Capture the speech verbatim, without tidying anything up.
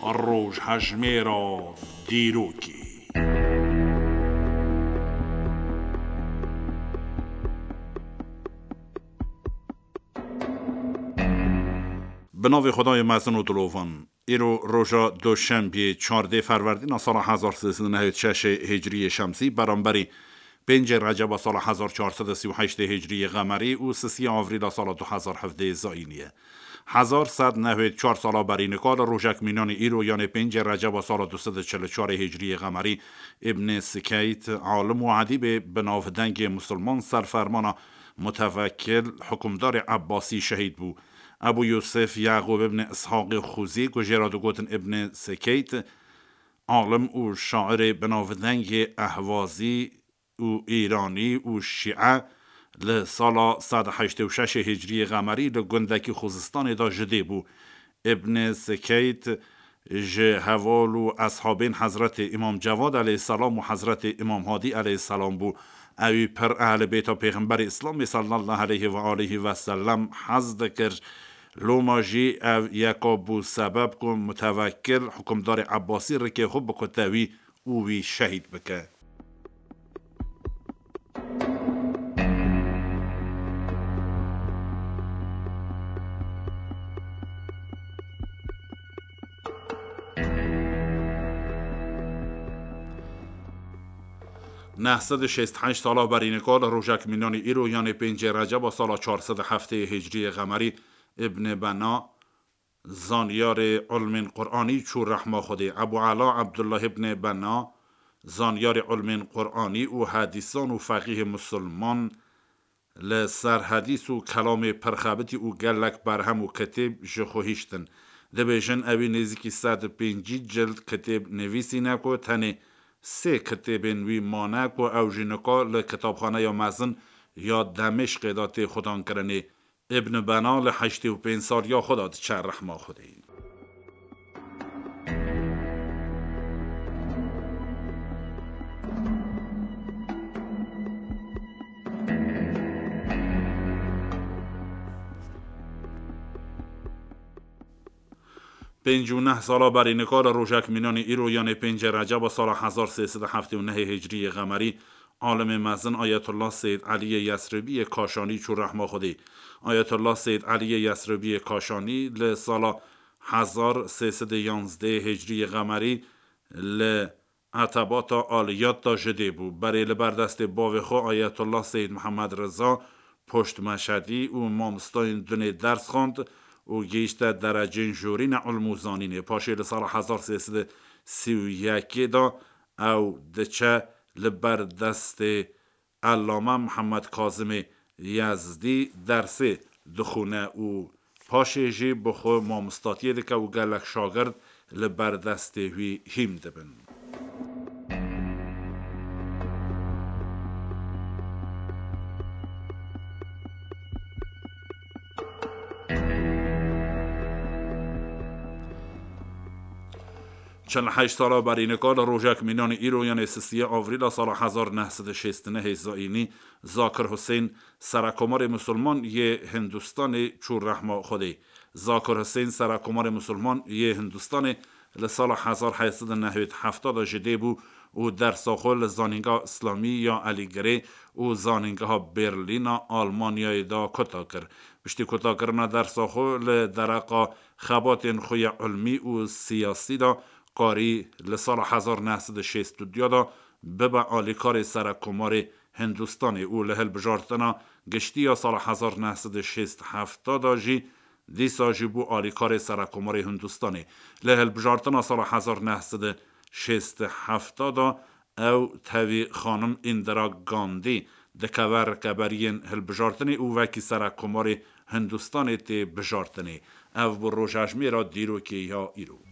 Rojhejmêra dîrokê. Bi navê Xwedayê mezin û dilovan. Îro roja Doşembiyê, çardê Ferwerdîna sala hezar sê sed û nehêd şeş Hicriyê Şemsî, beramberî pêncê Receba sala hezar çar sed û sî û heştê Hicriyê Qemerî û sisiya Avrîla sala du hezar hevdeh Zayînî ye. Hezar sed nehêd çar sala berî nika li rojek mînanî îro, yanê pêncê Receba sala du sed û çil û çarê Hicriyê Qemerî, Îbnê Sikeyt, alim û edîbê bi navdengê musulman, serfermana mutevekil, hukimdarê Ebbasî şehîd bû. Ebû Yûsif Yaqûb ibn Ishaqê Xûzî, ku jê re digotin Ibn Sekeyt, alim û şairê binavdengê Ehwazî û Îranî û Şîe, li sala sed heştê û şeş Hicriyê Qemerî li gundekî Xuzistanê de ji dê bû. Ibn Sekeyt ji heval û eshabên Hezretê Îmam Cevad aleyhisselam û Hezretê Îmam Hadî aleyhisselam bû. Ewî pir ehlê bêta Pêxemberê Îslamê sallallahu aleyhi ve aleyhi ve sellem hez dikir. Loma jî ev yeka bû sebeb ku mutevekil hukimdarê Ebbasî rikê xwe bikute wî û wî şehîd bike. Neh sed û şêst heşt sala berî nika li rojek mînanî îro, yanê pêncê Receba sala çar sed û heftê Hicriyê Qemerî, Ibn Bena, zanyarê ilmên Quranî çû rehma Xwedê. Ebû Ela Ebdullah Ibn Bena, zanyarê ilmên Quranî û hedîsan û feqîhê musulman, li ser hedîs û kelamê pirxebitî û gelek berhem û kitêb ji xwe hiştin. Dibêjin, ewî nêzîkî sed û pêncî cild kitêb nivîsîne ku tenê sê kitêbên wî mane ku ew jî nika li kitabxaneya mezin ya Demêşqê de tê xudankirinê. Ibn Bena li heştê û pênc saliya xwe de diçe rehma Xwedê. Pêncî û neh sala berî nika li rojek mînanî îro, yanê pêncê Receba sala hezar sê sed û heftê û nehê Hicriyê Qemerî, alimê mezin Ayetullah Seyyid Eliyê Yesribiyê Kaşanî çû rehma Xwedê. Ayetullah Seyyid Eliyê Yesribiyê Kaşanî li sala hezar sê sed û yanzdeh Hicriyê Qemerî li Etebata Aliyat de ji dê bû. Berê li ber destê bavê xwe Ayetullah Seyyid Mihemed Riza poşt Meşedî û mamostayên dinê ders xwend û gihîşte derecên jorîne ilm û zanînê. Paşê li sala hezar sê sed û sî û yekê de ew diçe li ber destê Ellame Mihemed Kazimê Yezdî dersê dixwîne û paşê jî bi xwe mamostatiyê dike û gelek şagird li ber destê wî hîm dibin. Çil heşt sala berî nika li rojek mînanî îro, yanê sisiyê Avrîla sala hezar neh sed û şêst û nehê Zayînî, Zakir Husên, Serekomarê Musulman yê Hindistanê çû rehma Xwedê. Zakir Husên, Serekomarê Musulman yê Hindistanê, li sala hezar heyt sed û nehwêd hefta de ji dê bû û dersa xwe li Zanîngeha Îslamî ya Elîgirê û Zanîngeha Berlîna Almanyayê de kota kir. Piştî kotakirina dersa xwe li dereqa xebatên xwe ya ilmî û siyasî de karî li sala hezar neh sed û şêst û duya de bibe alîkarê Serekomarê Hindistanê û li hilbijartina giştî ya sala hezar neh sed û şêst hefta de jî dîsa jî bû alîkarê Serekomarê Hindistanê. Li hilbijartina sala hezar neh sed û şêst hefta de ew tevî xanim Indira Gandhi dikeve rikeberiyên hilbijartinê û wekî Serekomarê Hindistanê tê bijartinê. Ev bû rojejmêra dîrokê ya îro.